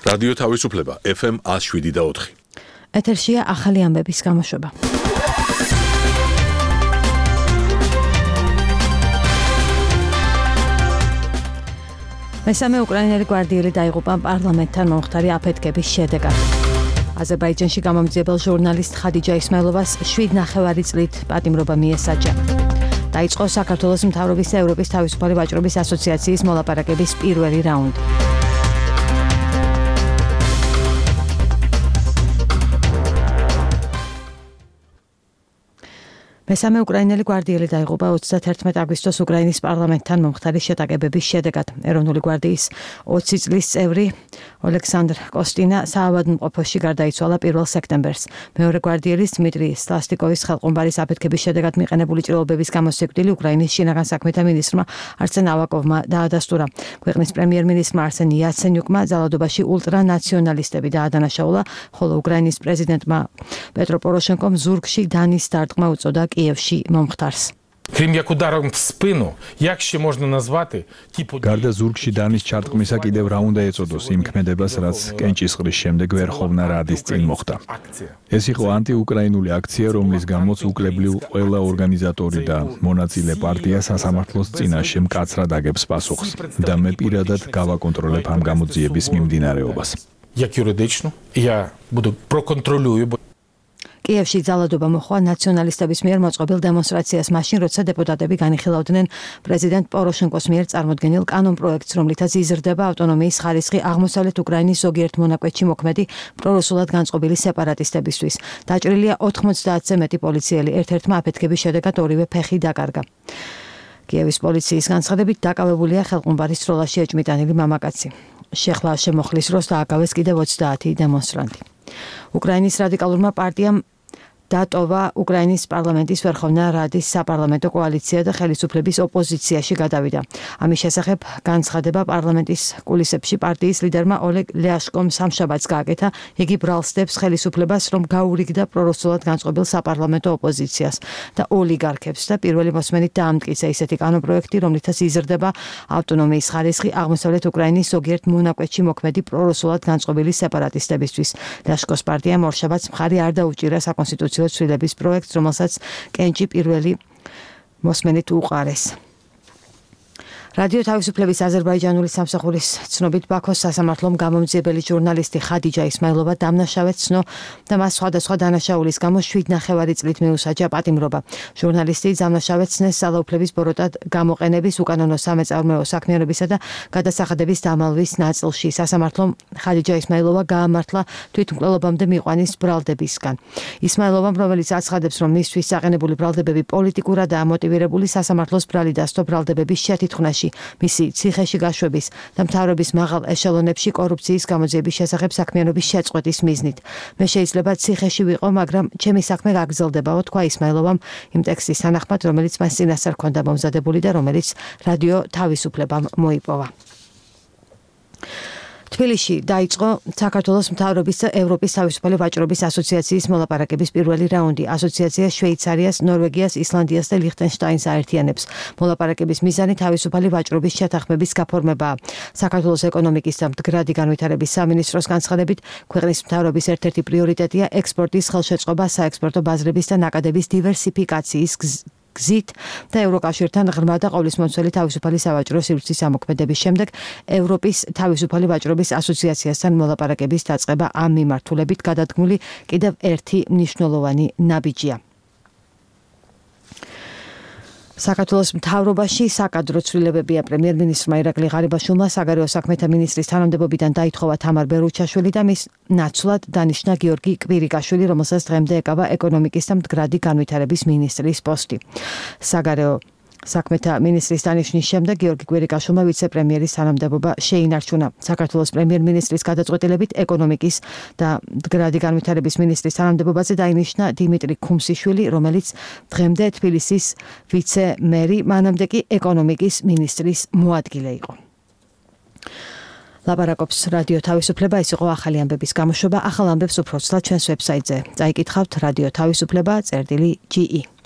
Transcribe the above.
რადიო თავისუფლება FM 107.4. ეთერშია ახალი ამბების გამოშვება. მესამე უკრაინელი გვარდიელი დაიღუპა პარლამენტთან მომხდარი აფეთქების შედეგად. აზერბაიჯანში გამომძიებელ ჟურნალისტ ხადიჯა ისმაილოვას 7,5 წლით პატიმრობა მიესაჯა. დაიწყო საქართველოს მთავრობის ევროპის თავისუფალი ვაჭრობის ასოციაციის მოლაპარაკების პირველი რაუნდი. მესამე უკრაინელი გვარდიელი დაიღუპა 31 აგვისტოს უკრაინის პარლამენტთან მომხდარი შეტაკებების შედეგად. ეროვნული გვარდიის 20 წლის წევრი ოლექსანდრ კოსტინა საავადმყოფოში გარდაიცვალა 1 სექტემბერს. მეორე გვარდიელის დმიტრი სლასტიკოვის ხელყუმბარის აფეთქების შედეგად მიყენებული ჭრილობების გამო სიკვდილი უკრაინის შინაგან საქმეთა მინისტრმა არსენ ავაკოვმა დაადასტურა. ქვეყნის პრემიერ-მინისტრმა არსენ იაცენიუკმა ძალადობაში ულტრანაციონალისტები დაადანაშაულა, ხოლო უკრაინის პრეზიდენტმა პეტრო პოროშენკომ ზურგში დანის დარტყმა უწოდა Киевში მომხდარს. Крім як ударом в спину, як ще можна назвати ті події? გარდა ზურგში დანის ჩარტყმისა კიდევ რა უნდა ეწოდოს იმ ქმედებას, რაც კენჭისყრის შემდეგ ვერხოვნა რადის წინ მოხდა. ეს იყო ანტიუკრაინული აქცია, რომლის გამოც უკლებლიw ყველა ორგანიზატორი და მონაწილე პარტია სასამართლოს წინაშე მკაცრად აგებს პასუხს და მე პირადად გავაკონტროლებ ამ გამოძიების მიმდინარეობას. Як юридично, я буду проконтролюю. კიევში ძალადობა მოხდა ნაციონალისტების მიერ მოწყობილ დემონსტრაციას მაშინ, როცა დეპუტატები განიხილავდნენ პრეზიდენტ პოროშენკოს მიერ წარმოდგენილ კანონპროექტს, რომლითაც იზრდება ავტონომიის ხარისხი აღმოსავლეთ უკრაინის ზოგიერთ მონაკვეთში მოქმედი პრორუსულად განწყობილი სეპარატისტებისთვის. დაჭრილია 90-ზე მეტი პოლიციელი, ერთ-ერთმა აფეთქების შედეგად ორივე ფეხი დაკარგა. კიევის პოლიციის განცხადებით დაკავებულია ხელყუმბარის სროლაში ეჭმიტანილი მამაკაცი. შეხლა შემოხლის დროს დააკავეს კიდევ 30 დემონსტრანტი. უკრაინის რადიკალურმა პარტიამ დატოვა უკრაინის პარლამენტის ვერხოვნა რადის საპარლამენტო კოალიცია და ხელისუფლების ოპოზიციაში გადავიდა. ამის შესახებ განცხადება პარლამენტის კულისებში პარტიის ლიდერმა ოლეგ ლიაშკომ სამშაბათს გააკეთა. იგი ბრალსდებს ხელისუფლებას, რომ გაურიგდა პრორუსულად განწყობილ საპარლამენტო ოპოზიციას და ოლიგარქებს და პირველი მოსმენით დაამტკიცა ისეთი კანონპროექტი, რომლითაც იზრდება ავტონომიის ხარისხი აღმოსავლეთ უკრაინის ზოგიერთ მონაკვეთში მოქმედი პრორუსულად განწყობილი სეპარატისტებისთვის. ლიაშკოს პარტიამ ორშაბათს მხარი არ დაუჭირა საკონსტიტუციო ცვლილების პროექტს, რომელსაც კენჭი პირველი მოსმენით უყარეს. რადიო თავისუფლების აზერბაიჯანული სამსახურის ცნობით ბაქოს სასამართლომ გამომძიებელი ჟურნალისტი ხადიჯა ისმაილოვა დამნაშავედ ცნო და მას სხვადასხვა დანაშაულის გამო 7,5 წლით მიუსაჯა პატიმრობა. ჟურნალისტი დამნაშავედ ცნეს ძალაუფლების ბოროტად გამოყენების, უკანონო სამეწარმეო საქმიანობისა და გადასახადების დამალვის ნაწილში. სასამართლომ ხადიჯა ისმაილოვა გაამართლა თვითმკვლელობამდე მიყვანის ბრალდებისგან. ისმაილოვამ, რომელიც აცხადებს, რომ მისთვის საყენებული ბრალდებები პოლიტიკურადაა მოტივირებული, სასამართლოს ბრალი დასდო ბრალდებების შეთითქმაში, მისი ციხეში გაშვების და მთავრობის მაღალ ეშელონებში კორუფციის გამოძიების შესახებ საქმიანობის შეწყვეტის მიზნით. მე შეიძლება ციხეში ვიყო, მაგრამ ჩემი საქმე გაგრძელდებაო, თქვა ისმაილოვამ იმ ტექსტის თანახმად, რომელიც მას წინასწარ ჰქონდა მომზადებული და რომელიც რადიო თავისუფლებამ მოიპოვა. თბილისში დაიწყო საქართველოს მთავრობის და ევროპის თავისუფალი ვაჭრობის ასოციაციის მოლაპარაკების პირველი რაუნდი. ასოციაცია შვეიცარიას, ნორვეგიას, ისლანდიას და ლიხტენშტაინს აერთიანებს. მოლაპარაკების მიზანი თავისუფალი ვაჭრობის შეთანხმების გაფორმებაა. საქართველოს ეკონომიკის და მდგრადი განვითარების სამინისტროს განცხადებით, ქვეყნის მთავრობის ერთ-ერთი პრიორიტეტია ექსპორტის ხელშეწყობა, საექსპორტო ბაზრების და ნაკადების დივერსიფიკაციის გზით და ევროკავშირთან ღრმა და ყოვლისმომცველი თავისუფალი სავაჭრო სივრცის ამოქმედების შემდეგ ევროპის თავისუფალი ვაჭრობის ასოციაციასთან მოლაპარაკების დაწყება ამ მიმართულებით გადადგმული კიდევ ერთი მნიშვნელოვანი ნაბიჯია. საქართველოს მთავრობაში საკადრო ცვლილებებია. პრემიერ-მინისტრმა ირაკლი ღარიბაშვილმა საგარეო საქმეთა მინისტრის თანამდებობიდან დაითხოვა თამარ ბერუჩაშვილი და მის ნაცვლად დანიშნა გიორგი კვირიკაშვილი, რომელსაც დღემდე ეკავა ეკონომიკის და მდგრადი განვითარების მინისტრის პოსტი. საგარეო საქმეთა მინისტრის დანიშნვის შემდეგ გიორგი კვირიკაშვილმა ვიცე-პრემიერის თანამდებობა შეინარჩუნა. საქართველოს პრემიერ-მინისტრის გადაწყვეტილებით ეკონომიკის და მდგრადი განვითარების მინისტრის თანამდებობაზე დაინიშნა დიმიტრი ქუმსიშვილი, რომელიც დღემდე თბილისის ვიცე-მერი, მანამდე კი ეკონომიკის მინისტრის მოადგილე იყო. ლაპარაკობს რადიო თავისუფლება, ეს იყო ახალი ამბების გამოშვება. ახალ ამბებს უფრო ცლად ჩვენს ვებსაიტზე. წაიკითხავთ რადიო თავისუფლება წერტილი GE.